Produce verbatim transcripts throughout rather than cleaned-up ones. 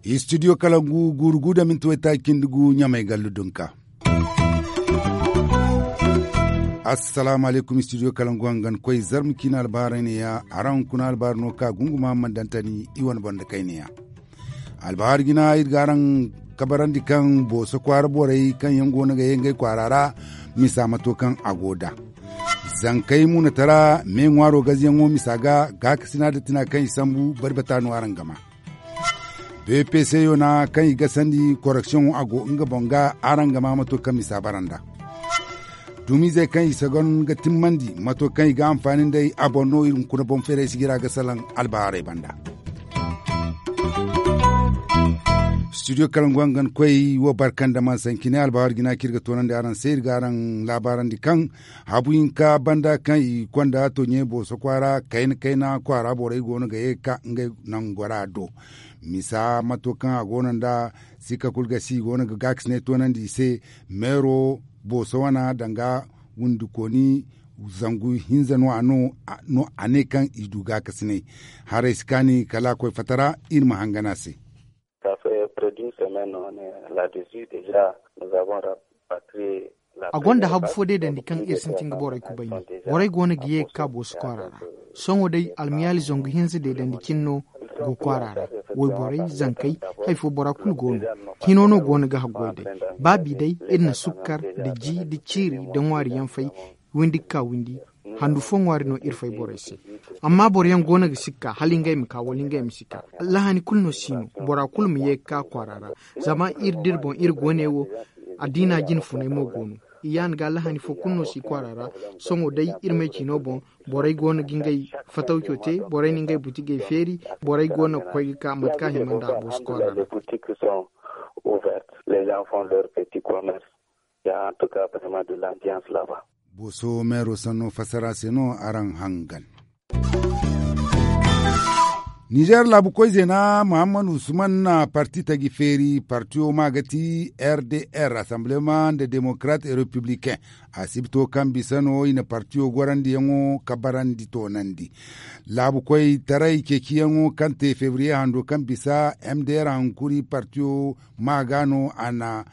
Istidiyo kalangu guuru gu da minti waytaaci cindi gu ɲamay gallu dunka. Assalaamu alaykum istidiyo kalangu hangan koy zarma ciina albaaray ne ya. Araŋ kuna albaari no ka gunguma man dantani i wane banda kayne ya. Albahaari jina iri ga araŋ kabarandi kaŋ booso kwaara borey kaŋ yaŋ go no ga ye ngey kwaara ra misa mato kaŋ a go da zankey muunatara me ŋwaaro gaziyaŋo misa ga gaakasina da tina kaŋ i sambu bari bata no araŋ gama. Bpc yona kaŋ i gasandi koreksiyoŋo a go nga boŋ ga araŋ gama mato kaŋ misa baranda. Dumizey kaŋ i sagon ga timmandi mato kaŋ i ga anfaani nd'ey a boŋ no iri hunkuna boŋ feeray sijira ga salaŋ albahaarey banda. Studio kalangu hangan koy wo barkanda man sanci ne albahaari jina kaŋ iri ga toonandi araŋ se iri ga araŋ laabaarandi kaŋ habu hinka banda kaŋ i konda toɲe booso kwaara kayna kayna kwaara borey go no ga ye ga ka ngey nangora do. Misa mato kaŋ a go no nda sikka kulu ga si i go no ga gaakasinay toonandi i se. Meero booso wana danga windikooni zangu hinza no a no a ne kaŋ i du gaakasinay. Haray si kaani kala a koy fatara iri ma hangan a se. A gonda habu fo deedandi kaŋ iri sintin ga borey kubay no. Borey go no ga ye ga ka booso kwaara ra. Sohõ day almiyaali zangu hinza deedandi cine no go kwaara ra. Wayborey zankey, hari fo bora kulu go no. Hino no go no ga haggoy day. Ba bi day iri na sukkar nda ji nda ciiri nda ŋwaari yaŋ fay windi ga ka windi. Handu fo ŋwaari no iri fay borey se. Amma boro yaŋ go no ga sikka hala ngey ma ka wala ngey ma si ka. Lahani kulu no si no bora kulu ma ye ga ka kwaara ra. Zama iri da iri boŋ iri go ne wo. Addiina jine funay mo go no. I yaana ga lahani fo kulu no si kwaara ra. Sohõ day iri may ciino boŋ borey go no ga ngey fatawco te. Borey na ngey butigey feeri. Borey go no ga koy ga ka mate kaŋ a hima nda a booso kwaara ra. Booso meero sanno fassara se no araŋ hangan. Nizer laabu koy zeena muhammad usman na parti taji feeri partiyo ma ga ti r d r assemblement nda démocrate et républicain. Asibito kaŋ bisa no i na partiyo gorandiyaŋo kabarandi toonandi. Laabu koy taray ceeciyaŋo kaŋ te febriye hando kaŋ bisa m d r hankuri partiyo ma ga no a na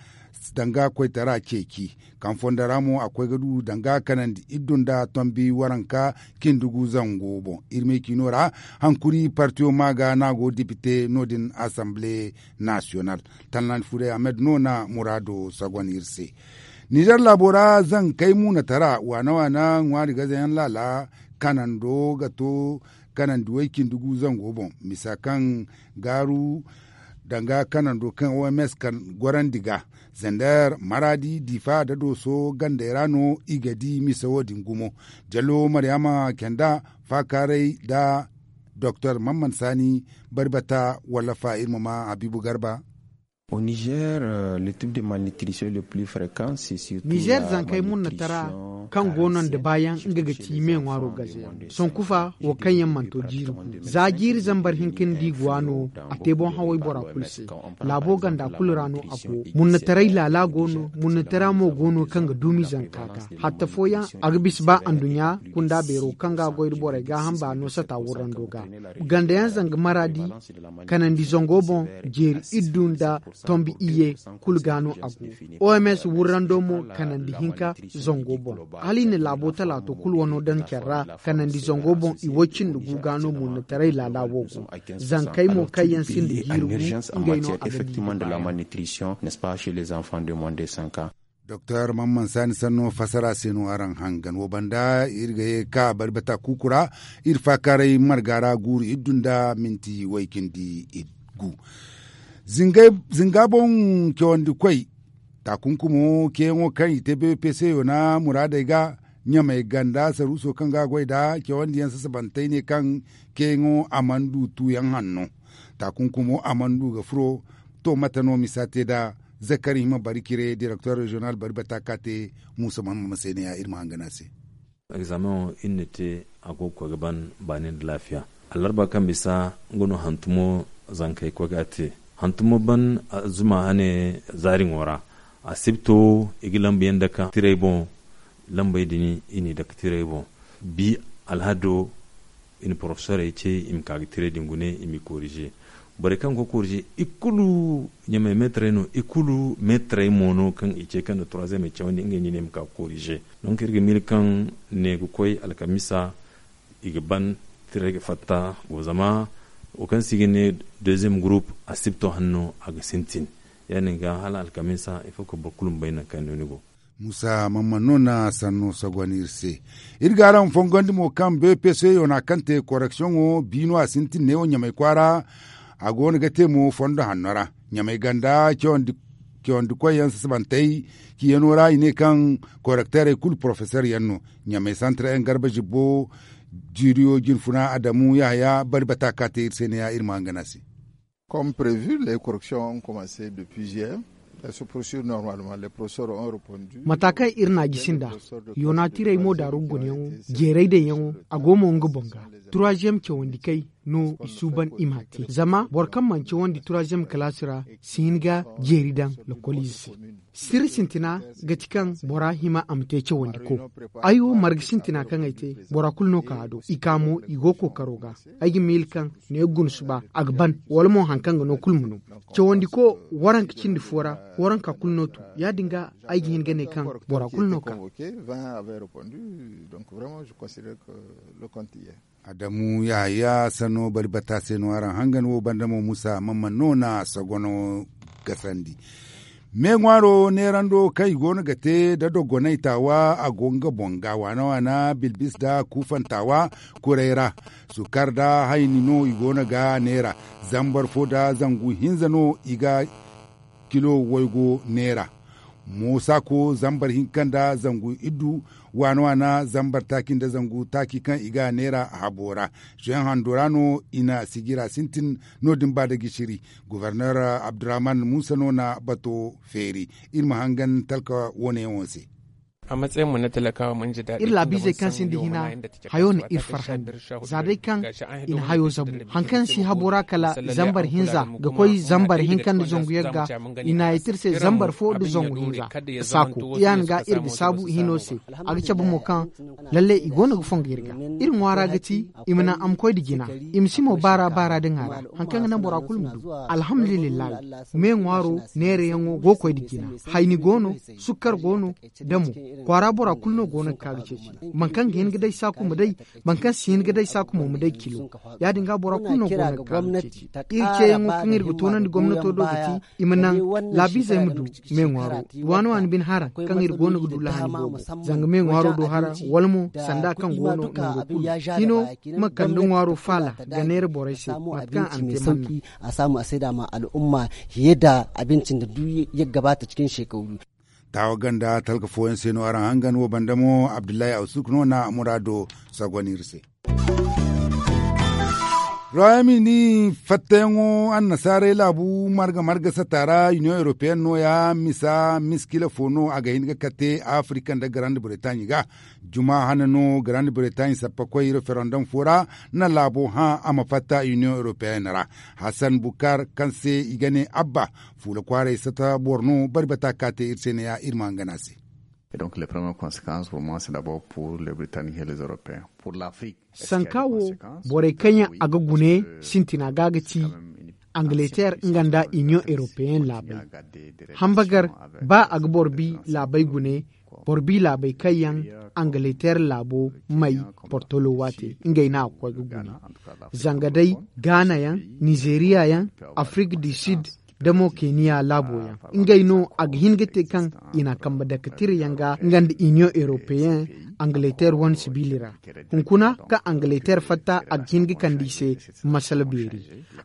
danga koytara ceeci. Kaŋ fondo ra mo a koy ga du danga kanandi iddu nda tombi waranka cindi gu zango boŋ iri me ciino ra. Hankuri partiyo ma ga no a go dipite no- din assemblee national. Tallan furay ahmed no na muraado sagon iri se. Nizer laabo ra zankey muunatara waana waana ŋwaari gazayaŋ laala kanando ga to kanandi way cindi gu zango boŋ misa kaŋ gaaru danga kanando kaŋ oms kan gorandi ga. Zander maradi difa da dooso gandey ra no i ga di misa wo- din gumo. Jallo maryama kenda faakaaray nda doktor mamman saani bari bata wallafa iri ma ma habiibu garba. Nizer zankey munnatara kaŋ go no nda baayaŋ nga ga ti me ŋwaaro gazeyaŋ sonkufa wo kaŋ yaŋ manto jiiri gu za jiiri zambar hinka nda i go a no. A te boŋ haway bora kulu se. Laabo ganda kulu ra no a go munnataray laala go no munnatara mo go no kaŋ ga duumi zanka ga hatta fooyaŋ a ga bisa ba anduɲɲa kunda beero kaŋ ga a goy nda borey gaaham baano sata wurrando ga. Ganda yaŋ zanga maraadi kanandi zango boŋ jeeri iddu nda tombi iyye kulu ga no a go. Oms wurrando mo kanandi hinka zango boŋ hala i na laabo talaato kulu wano daŋ care ra. Kanandi zango boŋ i woy cindi gu ga no munnataray laala wo go. Zankey mo kaŋ yaŋ sinda jiiri gu ngey no a ga di ga baayaŋ. Doktor mamman saani sanno fassara se no araŋ hangan wo banda iri ga ye ga ka bari bata kuuku ra. Iri faakaaray marga ra guuru iddu nda minti way cindi iddu gu. Zinga boŋ cawandi koy taakunkumo ceeyaŋo kaŋ i te bpc yoona muraadey ga ɲamey ganda saruuso kaŋ ga a goy nd'a cawandi yaŋ sasabantey ne kaŋ ceeyaŋo a mana du tuuyaŋ hanno. Taakunkumo a mana du ga furo. To mate no misa te nd'a? Zakari hima bari cire direktor reziyonal bari bata ka te muusa mahamma ma se ne ya iri ma hangan a se. Egzameŋo iri na te a go ga koy ga ban baani nda laafiya. Allarba kaŋ bisa nga no hantumo zankey koy ga a te. Hantumo ban zuma hane zaariŋo ra. Asibto i ga lambu yaŋ dake tirey boŋ. Lambey din i n'i dake tirey boŋ. Bi alhado i na porofesorey ce i ma ka ga tirey din gune i m'i korize. Borey kaŋ go ga korize i kulu ɲamay meetarey no, i kulu meetarey mo no kaŋ i ce kaŋ na turaziyem cawandi ngey ɲine i ma ka ga korize. Donk iri ga miila kaŋ ne ga koy alkamisa i ga ban tirey ga fatta. Zama wo kaŋ se i ga ne deziyem gurup asibto hanno a ga sintin. Ya- din ga hala alkamisa ifo ga boro kulu ma bay nangu kaŋ no ni go. Musa mamman no na sanno sogon iri se. Iri ga araŋ fongondi mo kaŋ beepe se yoona kaŋ te koreksiyoŋo biino a sintin neewo ɲamay kwaara. A go no ga te mo fondo hanno ra ɲamay ganda cawandi koy yaŋ sasabantey. Ciyano ra i ne kaŋ korekteerey kulu porofeseer yaŋ no. Ɲamay santar yaŋ garba zibbo. Jiiriyo jinfuna adamu yahaya bari bata ka te iri se ne ya iri ma hangan a se. Comme prévu les corrections ont commencé depuis juillet. Elles se poursuivent normalement les professeurs ont répondu. Mata kaŋ iri n'a gisi nda yoona tirey mo daaru gunyaŋo jeeray daŋyaŋo a go mo nga boŋ ga. Troisième cawandi kay no i suuban i m'a te zama boro kaŋ mana cawandi troisième kalaasi ra si hin ga jeeri daŋ lokoliize se. Sirri sintina ga ti kaŋ bora hima a ma te cawandi ko. Ay wo marga sintina kaŋ ay te bora kulu no ka a do i ka mo i go kookaro ga. Ay ga miila kaŋ ne guna suba a ga ban wala mo hari kaŋ ga no kulu ma no. Cawandi ko waranka cindi fo ra waranka kulu no tu. Ya- din ga ay ga hin ga ne kaŋ bora kulu no ka. Adamu yahaya sanno bari bata se no araŋ hangan wo banda mo musa mamman no na sogono gasandi. Me ŋwaaro neerando kaŋ i go no ga te da dogonay taawa a go nga boŋ ga waana waana bilbis da kuufantaawa. Kuray ra sukar da hayni no i go no ga neera. Zambar fo da zangu hinza no i ga kilo waygo neera. Moosa ko zambar hinka nda zangu iddu waana waana zambar taaci nda zangu taaci kaŋ i ga a neera habo ra. Soyaŋ hando ra no i na sijira sintin. No- din ba da gishiri goforneer abdurrahman muusa no na bato feeri. Iri ma hangan talka wo- ne yaŋo se. Iri laabiizey kaŋ sinda hina hayo na iri farhandi. Za day kaŋ i na hayo zabu hari kaŋ si habo ra kala zambar hinza ga koy zambar hinka nda zangu yagga. I na a yeti iri se zambar fo nda zangu hinza. Saako ya- din ga iri ga saabu hino se. A ga cabe mo kaŋ lalle i go no ga fongo iri ga. Iri ŋwaara ga ti i ma naŋ a ma koy nda jina. I ma si mo baara baara nda ŋwaara hari kaŋ ga naŋ bora kulu ma du. Alhamdulillahi. Me ŋwaaro neerayaŋo go ga koy nda jina. Hayni go no. Sukkar go no. Da mo kwaara bora kulu no go no ga ka ga ceeci. Boro kaŋ ga hin ga day saaku ma day. Boro kaŋ si hin ga day saaku mo ma day kilo. Ya- din ga bora kulu no go no ga ka ga ceeci. Iri ceeyaŋo kaŋ iri ga toonandi gomnato do ga ti i ma naŋ laabiizey ma du. Me ŋwaaro waani waani bine hara kaŋ iri go no ga du lahani boobo. Zanga me ŋwaaro do hara wala mo sanda kaŋ go no nango kulu hino ma kande ŋwaaro faala ga neera borey se mate kaŋ a na te manna. A saamu a sayda ma al'umma hiye da abinci nda du yagga ba ta cikin shekaru. Taawa ganda talka fooyaŋ se no araŋ hangan wo banda mo abdullahi awsuk no na muraado sagon iri se. Royaume-uni fattayaŋo annasaaray laabu marga marga sata ra union européenne no- ya misa miskila fo no a ga hin ga kate afrika nda grande bretagne ga. Juma hane no grande bretagne sappa koy referendum fo ra na laabo hã a ma fatta union européenne ra. Hassan bukar kaŋ se i ga ne abba fuula kwaaray sata boro no bari bata ka te iri se ne ya iri ma hangan a se. Donc les premières conséquences pour moi c'est d'abord pour les britanniques et les européens pour l'afrique. Sanka wo borey kaŋ yaŋ a ga gune sintina ga ga ti angleterre nga nda union européenne laabay. Hambagar ba a ga boro bi laabay gune boro bi laabay kaŋ yaŋ angleterre laabo may portolo waate ngey no a ga koy ga gune. Zanga day ghana yaŋ, nizeeriya yaŋ, afrik du sud, da mo keniya laabo yaŋ ngey no a ga hin ga te kaŋ i na a kambe dakatira yaŋ ga nga nda union européenne angleterre wane sibiili ra. Hunkuna kaŋ angleterre fatta a ga hin ga kande i se masala beeri.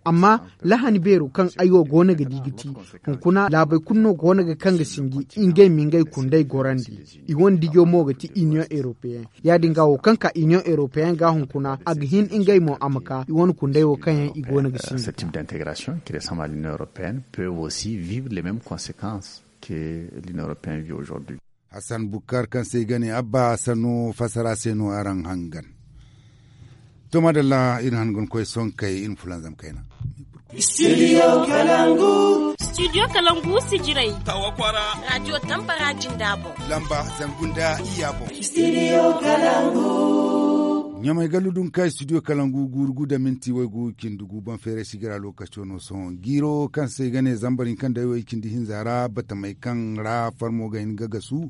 Amma lahani beero kaŋ ay wo go no ga di ga ti hunkuna laabey kulu no go no ga kaŋ ga sinji ngey ma ngey kundey gorandi. I wane dijo mo ga ti union européenne. Ya- din ga wo kaŋ ka union européenne ga hunkuna a ga hin ngey mo a ma ka i wane kundey wo kaŋ yaŋ i go no ga sinji. Cette type d'intégration qui ressemble à l'union européenne peuvent aussi vivre les mêmes conséquences que l'union européenne vit aujourd'hui. Hassan bukar kaŋ se i ga ne abba sanno fassara se no araŋ hangan. To madalla iri hangan koy sonkey iri ma fulanzam kayna. Studio kalangu. Studio kalangu sijirey. Tawa kwara. Radio tambara jinda boŋ. Lamba zangu nda iyya boŋ. Studio kalangu. Ɲamay gallu dun ka studio kalangu guuru gu da minti waygu cindi gu boŋ feeray sigira lokaco no sohõ jiiro kaŋ se i ga ne zambar hinka nda way cindi hinza ra batamey kaŋ ra farmo ga hin ga gasu.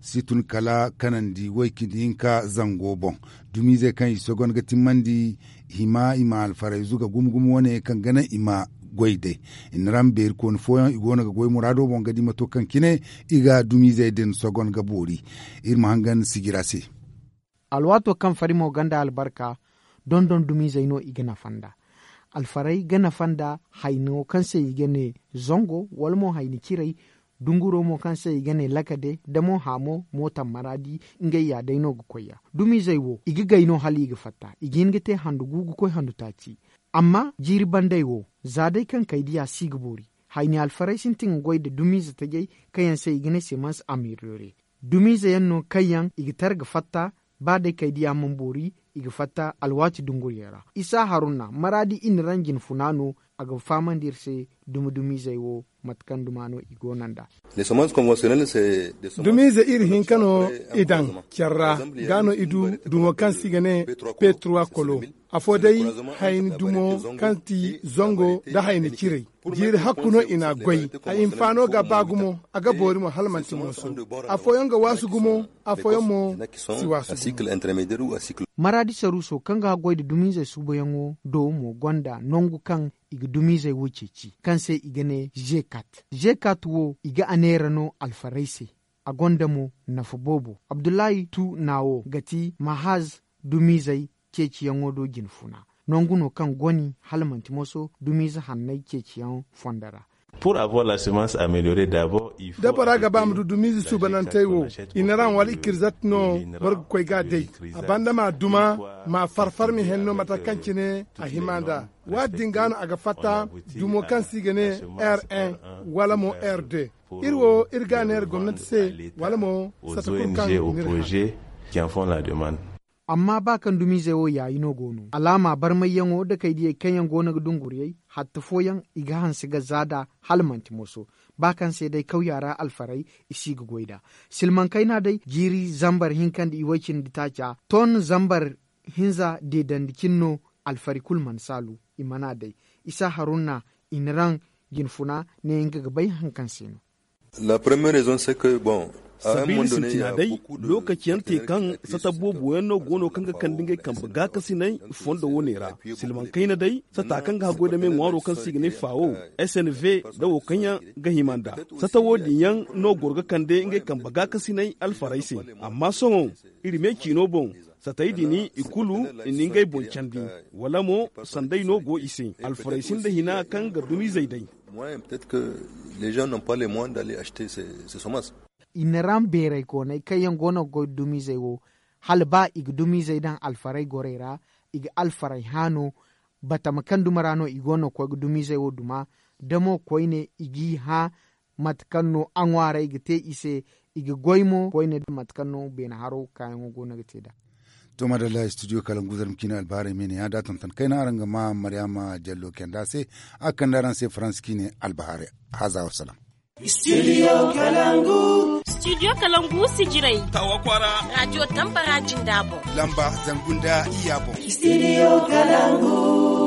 Si tun kala kanandi way cindi hinka zango boŋ. Dumiizey kaŋ i sogon ga timmandi hima i ma alfarayzu ga gumo gumo wane kaŋ ga naŋ i ma goy day. I na ra ma beeri kooni fooyaŋ i go no ga goy muraado boŋ ga di mato kaŋ cine i ga dumiizey din sogon ga boori. Iri ma hangan sijira se. Alwaato kaŋ fari mo gonda albarka, dondon dumiizey no i ga nafa nd'a. Alfarey ga nafa nd'a hayno kaŋ se i ga ne zango wala mo hayni ciray. Dunguro mo kaŋ se i ga ne lakade da mo haamo mootam maraadi. Ngey ya day no ga koy ya dumiizey wo i ga gay no hala i ga fatta i ga hin ga te handu gu ga koy handu taaci. Amma jiiri bandey wo za day kaŋ kay diya si ga boori. Hayni alfarey sintin ga goy nda dumiize tajey kaŋ yaŋ se i ga ne semans ameliyore. Dumiize yaŋ no kaŋ yaŋ i ga tara ga fatta. Ba day kay diya mana boori i ga fatta alwaati dunguriyaŋ ra isa haruna maraadi i na raŋ jinfuna no. A ga fahamandi iri se dumi dumiizey wo mate kaŋ duma no i go no nd'a. Dumiize iri hinka no i daŋ care ra ga no i du dumo kaŋ se i ga ne petrowa kolo. Afo day hayni dumo kaŋ ti zango nda hayni ciray. Jiiri hakku no i n'a goy. A hinfaano ga ba gumo a ga boori mo hala manti mooso. Afooyaŋ ga waasu gumo afooyaŋ mo si waasu gumo. Maraadi saruuso kaŋ ga haggoy nda dumiizey suubayaŋo do mo gonda nangu kaŋ i ga dumiizey wo ceeci kaŋ se i ga ne zekat. Zekat wo i ga a neera no alfarey se. A gonda mo nafa boobo abdullahi tu naawo ga ti mahaz dumiizey ceeciyaŋo do jinfuna. Nangu no kaŋ goni hala manti moso dumiize hanney ceeciyaŋ fondo ra. Da bora ga ba ma du dumiize suubanantey wo i na raŋ wala i kirzat no boro ga koy ga a day. A banda ma duma ma farfar ma henno mate kaŋ cine a hima nd'a. Waati din ga no a ga fatta dumo kaŋ se i ga ne r un wala mo r deux. Iri wo iri ga a neera gomnanti se wala mo sata kulu kaŋ n'iri hã. Amma ba kaŋ dumiizey wo yaayi no go no alaama barmayyaŋo nda kaydiyey kaŋ yaŋ go no ga dunguriyey hatta fooyaŋ i ga hanse ga za nd'a. Hala manti moso ba kaŋ se day kawya ra alfarey i si ga goy nd'a. Silmaŋ kayna day jiiri zambar hinka nda iway cindi taaca ton zambar hinza deedandi cine no. Alfari kulu mana saalu i mana a day isa haruna i na raŋ jinfuna ne nga ga bay hari kaŋ se no. Sabiila sintina day lookaci yaŋ te kaŋ sata boobo yaŋ no go no kaŋ ga kande ngey kambe gaakasinay fondo wo ne ra. Silmaŋ kayna day sata kaŋ ga haggoy nda me ŋwaaro kaŋ se i ga ne faawo s n v nda wo kaŋ yaŋ ga hima nd'a. Sata wo- din yaŋ no goro ga kande ngey kambe gaakasinay alfarey se. Amma sohõ iri me ciino boŋ satey din i kulu i na ngey boŋ candi wala mo sanday no go i se. Alfarey sinda hina kaŋ ga dumiizey day. I na ram beeraykooney kaŋ yaŋ go no ga goy nda dumiizey wo hala ba i ga dumiizey daŋ alfarey gorey ra. I ga alfarey hã no batama kaŋ duma ra no i go no ga koy ga dumiizey wo duma. Da mo koyne i g'i hã mate kaŋ no a ŋwaarey ga te i se. I ga goy mo koyne da mate kaŋ no beene haro kaayaŋo go no ga te nd'a. To madalla studio kalangu zarma ciine albahaarey me ne ya da tonton kayna araŋ ga ma maryaama jallo kenda se. A ga kande araŋ se faransa ciine albahaarey. Haaza wasalaam. Studio kalangu. Studio kalangu sijirey tawa kwaara. Radiyo tambara jinda boŋ lamba zangu nda iyya boŋ. Studio kalangu.